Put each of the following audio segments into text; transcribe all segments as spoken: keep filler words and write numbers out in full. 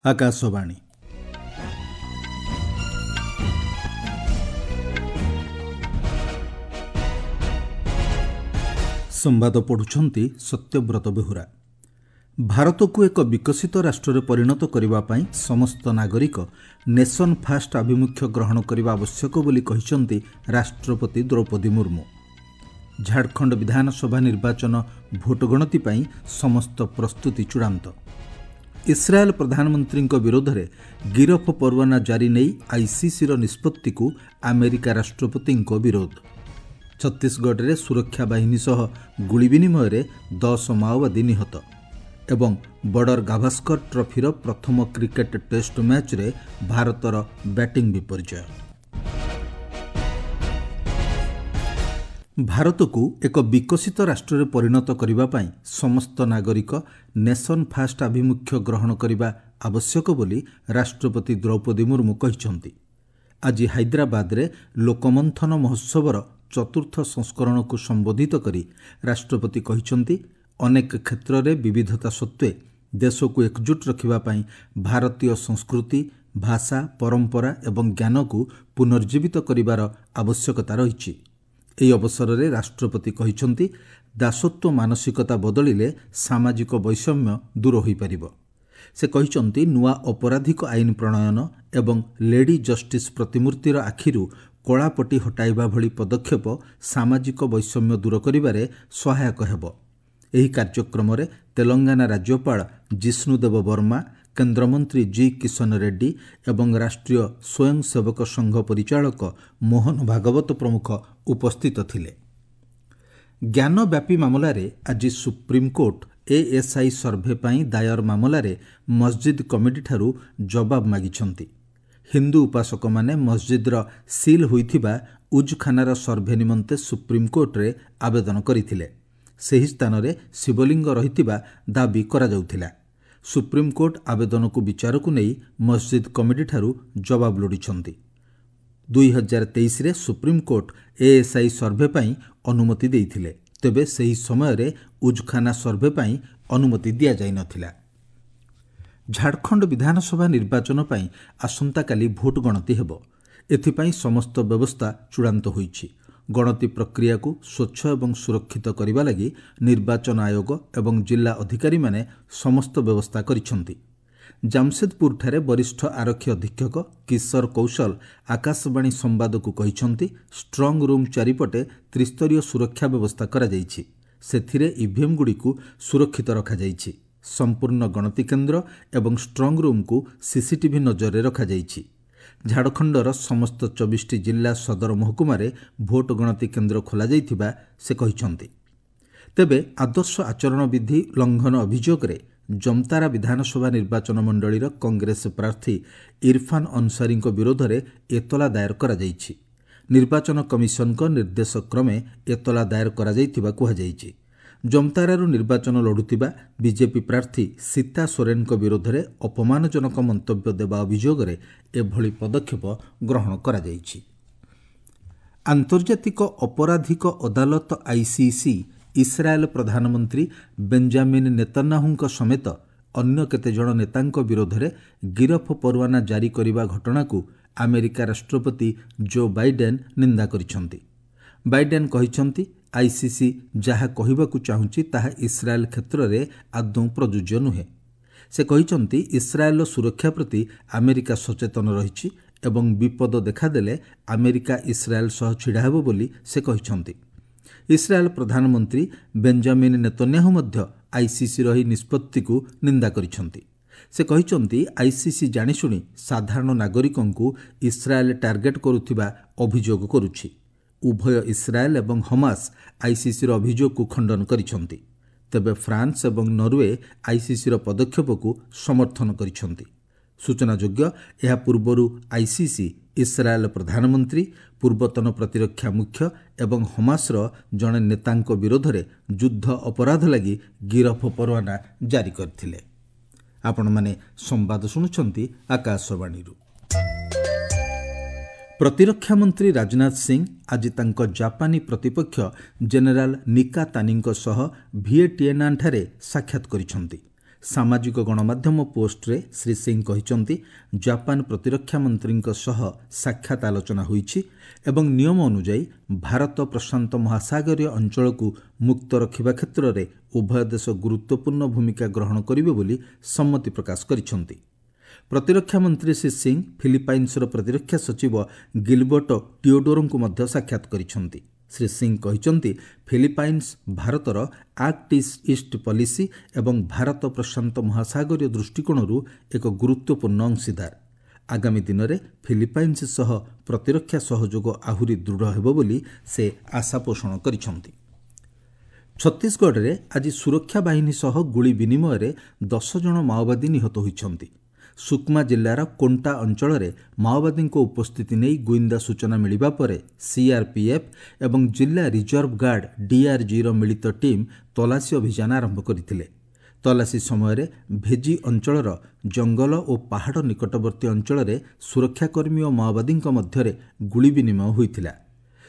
ଆକାଶବାଣୀ ସମ୍ବାଦ ପଢ଼ୁଛନ୍ତି ସତ୍ୟବ୍ରତ ବେହୁରା ଭାରତକୁ ଏକ ବିକଶିତ ରାଷ୍ଟ୍ରରେ ପରିଣତ କରିବା ପାଇଁ ସମସ୍ତ ନାଗରିକ ନେସନ୍ ଫାଷ୍ଟ ଆଭିମୁଖ୍ୟ ଗ୍ରହଣ କରିବା ଆବଶ୍ୟକ ବୋଲି କହିଛନ୍ତି ରାଷ୍ଟ୍ରପତି ଦ୍ରୌପଦୀ ମୁର୍ମୁ ଝାଡ଼ଖଣ୍ଡ ବିଧାନସଭା ନିର୍ବାଚନ ଭୋଟ ଗଣତି ପାଇଁ ସମସ୍ତ ପ୍ରସ୍ତୁତି ଚୂଡ଼ାନ୍ତ ଇସ୍ରାଏଲ୍ ପ୍ରଧାନମନ୍ତ୍ରୀଙ୍କ ବିରୋଧରେ ଗିରଫ ପରୱାନା ଜାରି ନେଇ ଆଇସିସିର ନିଷ୍ପତ୍ତିକୁ ଆମେରିକା ରାଷ୍ଟ୍ରପତିଙ୍କ ବିରୋଧ ଛତିଶଗଡ଼ରେ ସୁରକ୍ଷା ବାହିନୀ ସହ ଗୁଳି ବିନିମୟରେ ଦଶ ମାଓବାଦୀ ନିହତ ଏବଂ ବର୍ଡର ଗାଭାସ୍କର ଟ୍ରଫିର ପ୍ରଥମ କ୍ରିକେଟ୍ ଟେଷ୍ଟ ମ୍ୟାଚ୍ରେ ଭାରତର ବ୍ୟାଟିଂ ବିପର୍ଯ୍ୟୟ ଭାରତକୁ ଏକ ବିକଶିତ ରାଷ୍ଟ୍ରରେ ପରିଣତ କରିବା ପାଇଁ ସମସ୍ତ ନାଗରିକ ନେସନ୍ ଫାଷ୍ଟ ଆଭିମୁଖ୍ୟ ଗ୍ରହଣ କରିବା ଆବଶ୍ୟକ ବୋଲି ରାଷ୍ଟ୍ରପତି ଦ୍ରୌପଦୀ ମୁର୍ମୁ କହିଛନ୍ତି ଆଜି ହାଇଦ୍ରାବାଦରେ ଲୋକମନ୍ଥନ ମହୋତ୍ସବର ଚତୁର୍ଥ ସଂସ୍କରଣକୁ ସମ୍ବୋଧିତ କରି ରାଷ୍ଟ୍ରପତି କହିଛନ୍ତି ଅନେକ କ୍ଷେତ୍ରରେ ବିବିଧତା ସତ୍ତ୍ୱେ ଦେଶକୁ ଏକଜୁଟ ରଖିବା ପାଇଁ ଭାରତୀୟ ସଂସ୍କୃତି ଭାଷା ପରମ୍ପରା ଏବଂ ଜ୍ଞାନକୁ ପୁନର୍ଜୀବିତ କରିବାର ଆବଶ୍ୟକତା ରହିଛି ଏହି ଅବସରରେ ରାଷ୍ଟ୍ରପତି କହିଛନ୍ତି ଦାସତ୍ୱ ମାନସିକତା ବଦଳିଲେ ସାମାଜିକ ବୈଷମ୍ୟ ଦୂର ହୋଇପାରିବ ସେ କହିଛନ୍ତି ନୂଆ ଅପରାଧିକ ଆଇନ ପ୍ରଣୟନ ଏବଂ ଲେଡି ଜଷ୍ଟିସ୍ ପ୍ରତିମୂର୍ତ୍ତିର ଆଖିରୁ କଳାପଟି ହଟାଇବା ଭଳି ପଦକ୍ଷେପ ସାମାଜିକ ବୈଷମ୍ୟ ଦୂର କରିବାରେ ସହାୟକ ହେବ ଏହି କାର୍ଯ୍ୟକ୍ରମରେ ତେଲଙ୍ଗାନା ରାଜ୍ୟପାଳ ଜିଷ୍ଣୁଦେବ ବର୍ମା କେନ୍ଦ୍ରମନ୍ତ୍ରୀ ଜି କିଶନ ରେଡ୍ଡି ଏବଂ ରାଷ୍ଟ୍ରୀୟ ସ୍ୱୟଂସେବକ ସଂଘ ପରିଚାଳକ ମୋହନ ଭାଗବତ ପ୍ରମୁଖ ଉପସ୍ଥିତ ଥିଲେ ଜ୍ଞାନବ୍ୟାପୀ ମାମଲାରେ ଆଜି ସୁପ୍ରିମକୋର୍ଟ ଏଏସ୍ଆଇ ସର୍ଭେ ପାଇଁ ଦାୟର ମାମଲାରେ ମସଜିଦ୍ କମିଟିଠାରୁ ଜବାବ ମାଗିଛନ୍ତି ହିନ୍ଦୁ ଉପାସକମାନେ ମସଜିଦ୍ର ସିଲ୍ ହୋଇଥିବା ଉଜ୍ଖାନାର ସର୍ଭେ ନିମନ୍ତେ ସୁପ୍ରିମକୋର୍ଟରେ ଆବେଦନ କରିଥିଲେ ସେହି ସ୍ଥାନରେ ଶିବଲିଙ୍ଗ ରହିଥିବା ଦାବି କରାଯାଉଥିଲା ସୁପ୍ରିମକୋର୍ଟ ଆବେଦନକୁ ବିଚାରକୁ ନେଇ ମସଜିଦ୍ କମିଟିଠାରୁ ଜବାବ ଲୋଡ଼ିଛନ୍ତି ଦୁଇ ହଜାର ତେଇଶରେ ସୁପ୍ରିମକୋର୍ଟ ଏଏସ୍ଆଇ ସର୍ଭେ ପାଇଁ ଅନୁମତି ଦେଇଥିଲେ ତେବେ ସେହି ସମୟରେ ଉଜ୍ଖାନା ସର୍ଭେ ପାଇଁ ଅନୁମତି ଦିଆଯାଇ ନଥିଲା ଝାଡ଼ଖଣ୍ଡ ବିଧାନସଭା ନିର୍ବାଚନ ପାଇଁ ଆସନ୍ତାକାଲି ଭୋଟ ଗଣତି ହେବ ଏଥିପାଇଁ ସମସ୍ତ ବ୍ୟବସ୍ଥା ଚୂଡ଼ାନ୍ତ ହୋଇଛି ଗଣତି ପ୍ରକ୍ରିୟାକୁ ସ୍ୱଚ୍ଛ ଏବଂ ସୁରକ୍ଷିତ କରିବା ଲାଗି ନିର୍ବାଚନ ଆୟୋଗ ଏବଂ ଜିଲ୍ଲା ଅଧିକାରୀମାନେ ସମସ୍ତ ବ୍ୟବସ୍ଥା କରିଛନ୍ତି ଜାମସେଦପୁରଠାରେ ବରିଷ୍ଠ ଆରକ୍ଷୀ ଅଧୀକ୍ଷକ କିଶୋର କୌଶଲ ଆକାଶବାଣୀ ସମ୍ବାଦକୁ କହିଛନ୍ତି ଷ୍ଟ୍ରଙ୍ଗ ରୁମ୍ ଚାରିପଟେ ତ୍ରିସ୍ତରୀୟ ସୁରକ୍ଷା ବ୍ୟବସ୍ଥା କରାଯାଇଛି ସେଥିରେ ଇଭିଏମ୍ଗୁଡ଼ିକୁ ସୁରକ୍ଷିତ ରଖାଯାଇଛି ସମ୍ପୂର୍ଣ୍ଣ ଗଣତି କେନ୍ଦ୍ର ଏବଂ ଷ୍ଟ୍ରଙ୍ଗ ରୁମ୍କୁ ସିସିଟିଭି ନଜରରେ ରଖାଯାଇଛି ଝାଡ଼ଖଣ୍ଡର ସମସ୍ତ ଚବିଶଟି ଜିଲ୍ଲା ସଦର ମହକୁମାରେ ଭୋଟ ଗଣତି କେନ୍ଦ୍ର ଖୋଲାଯାଇଥିବା ସେ କହିଛନ୍ତି ତେବେ ଆଦର୍ଶ ଆଚରଣ ବିଧି ଲଙ୍ଘନ ଅଭିଯୋଗରେ ଜମତାରା ବିଧାନସଭା ନିର୍ବାଚନ ମଣ୍ଡଳୀର କଂଗ୍ରେସ ପ୍ରାର୍ଥୀ ଇରଫାନ୍ ଅନ୍ସାରୀଙ୍କ ବିରୋଧରେ ଏତଲା ଦାୟର କରାଯାଇଛି ନିର୍ବାଚନ କମିଶନଙ୍କ ନିର୍ଦ୍ଦେଶକ୍ରମେ ଏତଲା ଦାୟର କରାଯାଇଥିବା କୁହାଯାଇଛି ଜମତାରାରୁ ନିର୍ବାଚନ ଲଢ଼ୁଥିବା ବିଜେପି ପ୍ରାର୍ଥୀ ସୀତା ସୋରେନଙ୍କ ବିରୋଧରେ ଅପମାନଜନକ ମନ୍ତବ୍ୟ ଦେବା ଅଭିଯୋଗରେ ଏଭଳି ପଦକ୍ଷେପ ଗ୍ରହଣ କରାଯାଇଛି ଆନ୍ତର୍ଜାତିକ ଅପରାଧିକ ଅଦାଲତ ଆଇସିସି ଇସ୍ରାଏଲ୍ ପ୍ରଧାନମନ୍ତ୍ରୀ ବେଞ୍ଜାମିନ୍ ନେତନ୍ୟାହୁଙ୍କ ସମେତ ଅନ୍ୟ କେତେଜଣ ନେତାଙ୍କ ବିରୋଧରେ ଗିରଫ ପରୱାନା ଜାରି କରିବା ଘଟଣାକୁ ଆମେରିକା ରାଷ୍ଟ୍ରପତି ଜୋ ବାଇଡେନ୍ ନିନ୍ଦା କରିଛନ୍ତି ବାଇଡେନ୍ କହିଛନ୍ତି ଆଇସିସି ଯାହା କହିବାକୁ ଚାହୁଁଛି ତାହା ଇସ୍ରାଏଲ୍ କ୍ଷେତ୍ରରେ ଆଦୌ ପ୍ରଯୁଜ୍ୟ ନୁହେଁ ସେ କହିଛନ୍ତି ଇସ୍ରାଏଲ୍ର ସୁରକ୍ଷା ପ୍ରତି ଆମେରିକା ସଚେତନ ରହିଛି ଏବଂ ବିପଦ ଦେଖାଦେଲେ ଆମେରିକା ଇସ୍ରାଏଲ୍ ସହ ଛିଡ଼ା ହେବ ବୋଲି ସେ କହିଛନ୍ତି ଇସ୍ରାଏଲ୍ ପ୍ରଧାନମନ୍ତ୍ରୀ ବେଞ୍ଜାମିନ୍ ନେତନ୍ୟାହୁ ମଧ୍ୟ ଆଇସିସିର ଏହି ନିଷ୍ପତ୍ତିକୁ ନିନ୍ଦା କରିଛନ୍ତି ସେ କହିଛନ୍ତି ଆଇସିସି ଜାଣିଶୁଣି ସାଧାରଣ ନାଗରିକଙ୍କୁ ଇସ୍ରାଏଲ୍ ଟାର୍ଗେଟ୍ କରୁଥିବା ଅଭିଯୋଗ କରୁଛି ଉଭୟ ଇସ୍ରାଏଲ୍ ଏବଂ ହମାସ୍ ଆଇସିସିର ଅଭିଯୋଗକୁ ଖଣ୍ଡନ କରିଛନ୍ତି ତେବେ ଫ୍ରାନ୍ସ ଏବଂ ନରୱେ ଆଇସିସିର ପଦକ୍ଷେପକୁ ସମର୍ଥନ କରିଛନ୍ତି ସୂଚନାଯୋଗ୍ୟ ଏହା ପୂର୍ବରୁ ଆଇସିସି ଇସ୍ରାଏଲ୍ ପ୍ରଧାନମନ୍ତ୍ରୀ ପୂର୍ବତନ ପ୍ରତିରକ୍ଷା ମୁଖ୍ୟ ଏବଂ ହମାସ୍ର ଜଣେ ନେତାଙ୍କ ବିରୋଧରେ ଯୁଦ୍ଧ ଅପରାଧ ଲାଗି ଗିରଫ ପରୱାନା ଜାରି କରିଥିଲେ ଆପଣମାନେ ସମ୍ବାଦ ଶୁଣୁଛନ୍ତି ଆକାଶବାଣୀରୁ ପ୍ରତିରକ୍ଷା ମନ୍ତ୍ରୀ ରାଜନାଥ ସିଂ ଆଜି ତାଙ୍କ ଜାପାନୀ ପ୍ରତିପକ୍ଷ ଜେନେରାଲ ନିକା ତାନିଙ୍କ ସହ ଭିଏଟିଏନାନ୍ଠାରେ ସାକ୍ଷାତ କରିଛନ୍ତି ସାମାଜିକ ଗଣମାଧ୍ୟମ ପୋଷ୍ଟରେ ଶ୍ରୀ ସିଂ କହିଛନ୍ତି, ଜାପାନ ପ୍ରତିରକ୍ଷା ମନ୍ତ୍ରୀଙ୍କ ସହ ସାକ୍ଷାତ ଆଲୋଚନା ହୋଇଛି ଏବଂ ନିୟମ ଅନୁଯାୟୀ ଭାରତ ପ୍ରଶାନ୍ତ ମହାସାଗରୀୟ ଅଞ୍ଚଳକୁ ମୁକ୍ତ ରଖିବା କ୍ଷେତ୍ରରେ ଉଭୟ ଦେଶ ଗୁରୁତ୍ୱପୂର୍ଣ୍ଣ ଭୂମିକା ଗ୍ରହଣ କରିବେ ବୋଲି ସମ୍ମତି ପ୍ରକାଶ କରିଛନ୍ତି। ପ୍ରତିରକ୍ଷା ମନ୍ତ୍ରୀ ଶ୍ରୀ ସିଂ ଫିଲିପାଇନ୍ସର ପ୍ରତିରକ୍ଷା ସଚିବ ଗିଲବର୍ଟ ଟିଓଡୋରୋଙ୍କୁ ମଧ୍ୟ ସାକ୍ଷାତ କରିଛନ୍ତି। ଶ୍ରୀ ସିଂ କହିଛନ୍ତି, ଫିଲିପାଇନ୍ସ ଭାରତର ଆକ୍ଟ ଇଷ୍ଟ ପଲିସି ଏବଂ ଭାରତ ପ୍ରଶାନ୍ତ ମହାସାଗରୀୟ ଦୃଷ୍ଟିକୋଣରୁ ଏକ ଗୁରୁତ୍ୱପୂର୍ଣ୍ଣ ଅଂଶୀଦାର। ଆଗାମୀ ଦିନରେ ଫିଲିପାଇନ୍ସ ସହ ପ୍ରତିରକ୍ଷା ସହଯୋଗ ଆହୁରି ଦୃଢ଼ ହେବ ବୋଲି ସେ ଆଶା ପୋଷଣ କରିଛନ୍ତି। ଛତିଶଗଡ଼ରେ ଆଜି ସୁରକ୍ଷା ବାହିନୀ ସହ ଗୁଳି ବିନିମୟରେ ଦଶ ଜଣ ମାଓବାଦୀ ନିହତ ହୋଇଛନ୍ତି। ସୁକମା ଜିଲ୍ଲାର କୋଣ୍ଟା ଅଞ୍ଚଳରେ ମାଓବାଦୀଙ୍କ ଉପସ୍ଥିତି ନେଇ ଗୁଇନ୍ଦା ସୂଚନା ମିଳିବା ପରେ ସିଆର୍ପିଏଫ୍ ଏବଂ ଜିଲ୍ଲା ରିଜର୍ଭ ଗାର୍ଡ ଡିଆର୍ଜିର ମିଳିତ ଟିମ୍ ତଲାସୀ ଅଭିଯାନ ଆରମ୍ଭ କରିଥିଲେ। ତଲାସୀ ସମୟରେ ଭେଜି ଅଞ୍ଚଳର ଜଙ୍ଗଲ ଓ ପାହାଡ଼ ନିକଟବର୍ତ୍ତୀ ଅଞ୍ଚଳରେ ସୁରକ୍ଷାକର୍ମୀ ଓ ମାଓବାଦୀଙ୍କ ମଧ୍ୟରେ ଗୁଳି ବିନିମୟ ହୋଇଥିଲା।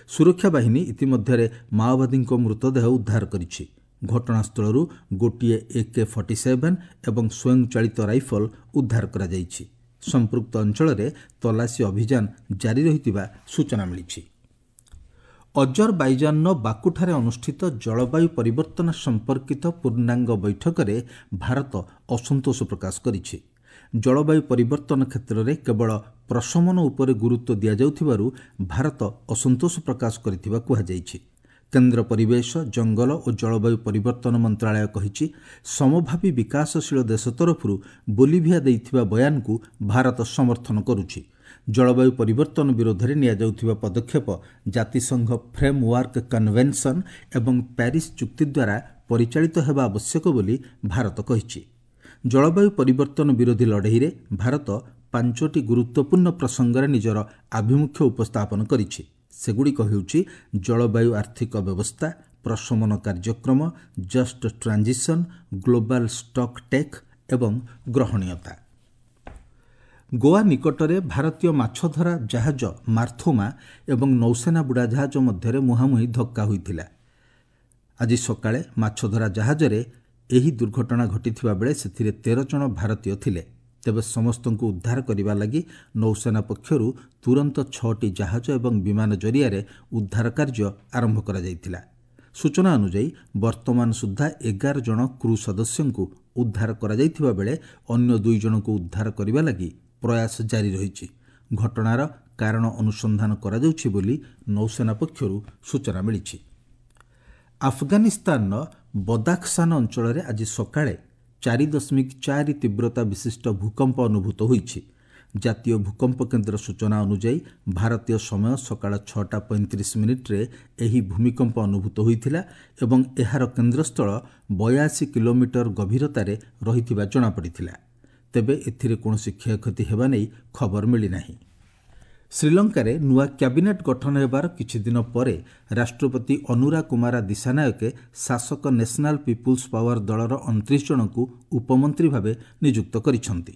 ସୁରକ୍ଷା ବାହିନୀ ଇତିମଧ୍ୟରେ ମାଓବାଦୀଙ୍କ ମୃତଦେହ ଉଦ୍ଧାର କରିଛି। ଘଟଣାସ୍ଥଳରୁ ଗୋଟିଏ ଏକେ ଫର୍ଟି ସେଭେନ୍ ଏବଂ ସ୍ୱୟଂଚାଳିତ ରାଇଫଲ ଉଦ୍ଧାର କରାଯାଇଛି। ସମ୍ପୃକ୍ତ ଅଞ୍ଚଳରେ ତଲାସୀ ଅଭିଯାନ ଜାରି ରହିଥିବା ସୂଚନା ମିଳିଛି। ଅଜରବାଇଜାନର ବାକୁଠାରେ ଅନୁଷ୍ଠିତ ଜଳବାୟୁ ପରିବର୍ତ୍ତନ ସମ୍ପର୍କିତ ପୂର୍ଣ୍ଣାଙ୍ଗ ବୈଠକରେ ଭାରତ ଅସନ୍ତୋଷ ପ୍ରକାଶ କରିଛି। ଜଳବାୟୁ ପରିବର୍ତ୍ତନ କ୍ଷେତ୍ରରେ କେବଳ ପ୍ରଶମନ ଉପରେ ଗୁରୁତ୍ୱ ଦିଆଯାଉଥିବାରୁ ଭାରତ ଅସନ୍ତୋଷ ପ୍ରକାଶ କରିଥିବା କୁହାଯାଇଛି। କେନ୍ଦ୍ର ପରିବେଶ, ଜଙ୍ଗଲ ଓ ଜଳବାୟୁ ପରିବର୍ତ୍ତନ ମନ୍ତ୍ରଣାଳୟ କହିଛି, ସମଭାବୀ ବିକାଶଶୀଳ ଦେଶ ତରଫରୁ ବୋଲିଭିଆ ଦେଇଥିବା ବୟାନକୁ ଭାରତ ସମର୍ଥନ କରୁଛି। ଜଳବାୟୁ ପରିବର୍ତ୍ତନ ବିରୋଧରେ ନିଆଯାଉଥିବା ପଦକ୍ଷେପ ଜାତିସଂଘ ଫ୍ରେମ୍ୱାର୍କ କନଭେନସନ୍ ଏବଂ ପ୍ୟାରିସ୍ ଚୁକ୍ତି ଦ୍ୱାରା ପରିଚାଳିତ ହେବା ଆବଶ୍ୟକ ବୋଲି ଭାରତ କହିଛି। ଜଳବାୟୁ ପରିବର୍ତ୍ତନ ବିରୋଧୀ ଲଢ଼େଇରେ ଭାରତ ପାଞ୍ଚଟି ଗୁରୁତ୍ୱପୂର୍ଣ୍ଣ ପ୍ରସଙ୍ଗରେ ନିଜର ଆଭିମୁଖ୍ୟ ଉପସ୍ଥାପନ କରିଛି। ସେଗୁଡ଼ିକ ହେଉଛି ଜଳବାୟୁ ଆର୍ଥିକ ବ୍ୟବସ୍ଥା, ପ୍ରଶମନ କାର୍ଯ୍ୟକ୍ରମ, just transition, global stock take ଏବଂ ଗ୍ରହଣୀୟତା। ଗୋଆ ନିକଟରେ ଭାରତୀୟ ମାଛଧରା ଜାହାଜ ମାର୍ଥୋମା ଏବଂ ନୌସେନା ବୁଡ଼ାଜାହାଜ ମଧ୍ୟରେ ମୁହାଁମୁହିଁ ଧକ୍କା ହୋଇଥିଲା। ଆଜି ସକାଳେ ମାଛଧରା ଜାହାଜରେ ଏହି ଦୁର୍ଘଟଣା ଘଟିଥିବା ବେଳେ ସେଥିରେ ତେର ଜଣ ଭାରତୀୟ ଥିଲେ। ତେବେ ସମସ୍ତଙ୍କୁ ଉଦ୍ଧାର କରିବା ଲାଗି ନୌସେନା ପକ୍ଷରୁ ତୁରନ୍ତ ଛଅଟି ଜାହାଜ ଏବଂ ବିମାନ ଜରିଆରେ ଉଦ୍ଧାର କାର୍ଯ୍ୟ ଆରମ୍ଭ କରାଯାଇଥିଲା। ସୂଚନା ଅନୁଯାୟୀ ବର୍ତ୍ତମାନ ସୁଦ୍ଧା ଏଗାର ଜଣ କ୍ରୁ ସଦସ୍ୟଙ୍କୁ ଉଦ୍ଧାର କରାଯାଇଥିବା ବେଳେ ଅନ୍ୟ ଦୁଇ ଜଣଙ୍କୁ ଉଦ୍ଧାର କରିବା ଲାଗି ପ୍ରୟାସ ଜାରି ରହିଛି। ଘଟଣାର କାରଣ ଅନୁସନ୍ଧାନ କରାଯାଉଛି ବୋଲି ନୌସେନା ପକ୍ଷରୁ ସୂଚନା ମିଳିଛି। ଆଫଗାନିସ୍ତାନର ବଦାଖସାନ ଅଞ୍ଚଳରେ ଆଜି ସକାଳେ ଚାରି ଦଶମିକ ଚାରି ତୀବ୍ରତା ବିଶିଷ୍ଟ ଭୂକମ୍ପ ଅନୁଭୂତ ହୋଇଛି। ଜାତୀୟ ଭୂକମ୍ପ କେନ୍ଦ୍ର ସୂଚନା ଅନୁଯାୟୀ ଭାରତୀୟ ସମୟ ସକାଳ ଛଅଟା ପଇଁତିରିଶ ମିନିଟ୍ରେ ଏହି ଭୂମିକମ୍ପ ଅନୁଭୂତ ହୋଇଥିଲା ଏବଂ ଏହାର କେନ୍ଦ୍ରସ୍ଥଳ ବୟାଅଶୀ କିଲୋମିଟର ଗଭୀରତାରେ ରହିଥିବା ଜଣାପଡ଼ିଥିଲା। ତେବେ ଏଥିରେ କୌଣସି କ୍ଷୟକ୍ଷତି ହେବା ନେଇ ଖବର ମିଳିନାହିଁ। ଶ୍ରୀଲଙ୍କାରେ ନୂଆ କ୍ୟାବିନେଟ୍ ଗଠନ ହେବାର କିଛିଦିନ ପରେ ରାଷ୍ଟ୍ରପତି ଅନୁରା କୁମାରା ଦିଶାନାୟକେ ଶାସକ ନ୍ୟାସନାଲ୍ ପିପୁଲ୍ସ ପାୱାର ଦଳର ଅଣତିରିଶ ଜଣଙ୍କୁ ଉପମନ୍ତ୍ରୀ ଭାବେ ନିଯୁକ୍ତ କରିଛନ୍ତି।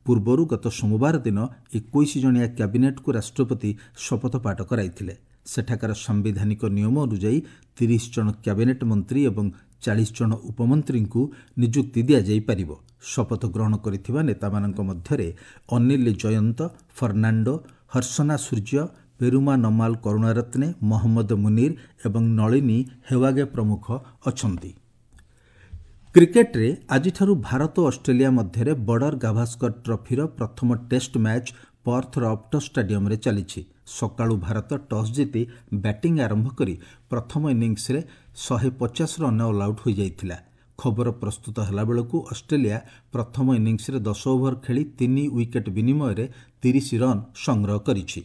ପୂର୍ବରୁ ଗତ ସୋମବାର ଦିନ ଏକୋଇଶ ଜଣିଆ କ୍ୟାବିନେଟ୍କୁ ରାଷ୍ଟ୍ରପତି ଶପଥପାଠ କରାଇଥିଲେ। ସେଠାକାର ସାମ୍ବିଧାନିକ ନିୟମ ଅନୁଯାୟୀ ତିରିଶ ଜଣ କ୍ୟାବିନେଟ୍ ମନ୍ତ୍ରୀ ଏବଂ ଚାଳିଶ ଜଣ ଉପମନ୍ତ୍ରୀଙ୍କୁ ନିଯୁକ୍ତି ଦିଆଯାଇପାରିବ। ଶପଥ ଗ୍ରହଣ କରିଥିବା ନେତାମାନଙ୍କ ମଧ୍ୟରେ ଅନିଲ ଜୟନ୍ତ ଫର୍ଣ୍ଣାଣ୍ଡୋ, ହର୍ଷନା ସୂର୍ଯ୍ୟ, ପେରୁମା ନମାଲ କରୁଣାରତ୍ନେ, ମହମ୍ମଦ ମୁନିର ଏବଂ ନଳିନୀ ହେୱାଗେ ପ୍ରମୁଖ ଅଛନ୍ତି। କ୍ରିକେଟରେ ଆଜିଠାରୁ ଭାରତ ଓ ଅଷ୍ଟ୍ରେଲିଆ ମଧ୍ୟରେ ବର୍ଡର ଗାଭାସ୍କର ଟ୍ରଫିର ପ୍ରଥମ ଟେଷ୍ଟ ମ୍ୟାଚ୍ ପର୍ଥର ଅପ୍ଟସ୍ ଷ୍ଟାଡିୟମରେ ଚାଲିଛି। ସକାଳୁ ଭାରତ ଟସ୍ ଜିତି ବ୍ୟାଟିଂ ଆରମ୍ଭ କରି ପ୍ରଥମ ଇନିଂସରେ ଶହେ ପଚାଶ ରନ୍ ଅଲ୍ ଆଉଟ୍ ହୋଇଯାଇଥିଲା। ଖବର ପ୍ରସ୍ତୁତ ହେଲାବେଳକୁ ଅଷ୍ଟ୍ରେଲିଆ ପ୍ରଥମ ଇନିଂସରେ ଦଶ ଓଭର ଖେଳି ତିନି ୱିକେଟ୍ ବିନିମୟରେ ତିରିଶ ରନ୍ ସଂଗ୍ରହ କରିଛି।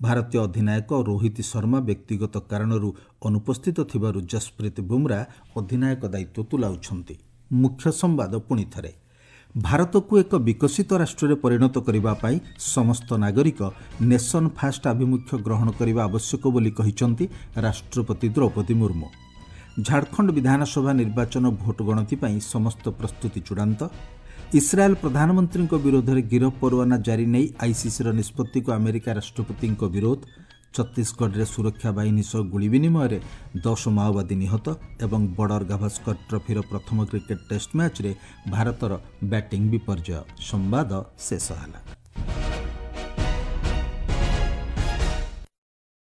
ଭାରତୀୟ ଅଧିନାୟକ ରୋହିତ ଶର୍ମା ବ୍ୟକ୍ତିଗତ କାରଣରୁ ଅନୁପସ୍ଥିତ ଥିବାରୁ ଜସପ୍ରୀତ ବୁମ୍ରା ଅଧିନାୟକ ଦାୟିତ୍ୱ ତୁଲାଉଛନ୍ତି। ମୁଖ୍ୟ ସମ୍ବାଦ ପୁଣି ଥରେ, ଭାରତକୁ ଏକ ବିକଶିତ ରାଷ୍ଟ୍ରରେ ପରିଣତ କରିବା ପାଇଁ ସମସ୍ତ ନାଗରିକ ନେସନ୍ ଫାଷ୍ଟ ଆଭିମୁଖ୍ୟ ଗ୍ରହଣ କରିବା ଆବଶ୍ୟକ ବୋଲି କହିଛନ୍ତି ରାଷ୍ଟ୍ରପତି ଦ୍ରୌପଦୀ ମୁର୍ମୁ। ଝାଡ଼ଖଣ୍ଡ ବିଧାନସଭା ନିର୍ବାଚନ ଭୋଟ ଗଣତି ପାଇଁ ସମସ୍ତ ପ୍ରସ୍ତୁତି ଚୂଡ଼ାନ୍ତ। ଇସ୍ରାଏଲ୍ ପ୍ରଧାନମନ୍ତ୍ରୀଙ୍କ ବିରୋଧରେ ଗିରଫ ପରୱାନା ଜାରି ନେଇ ଆଇସିସିର ନିଷ୍ପତ୍ତିକୁ ଆମେରିକା ରାଷ୍ଟ୍ରପତିଙ୍କ ବିରୋଧ। ଛତିଶଗଡ଼ରେ ସୁରକ୍ଷା ବାହିନୀ ସହ ଗୁଳି ବିନିମୟରେ ଦଶ ମାଓବାଦୀ ନିହତ ଏବଂ ବର୍ଡର ଗାଭାସ୍କର ଟ୍ରଫିର ପ୍ରଥମ କ୍ରିକେଟ୍ ଟେଷ୍ଟ ମ୍ୟାଚ୍ରେ ଭାରତର ବ୍ୟାଟିଂ ବିପର୍ଯ୍ୟୟ। ସମ୍ବାଦ ଶେଷ ହେଲା।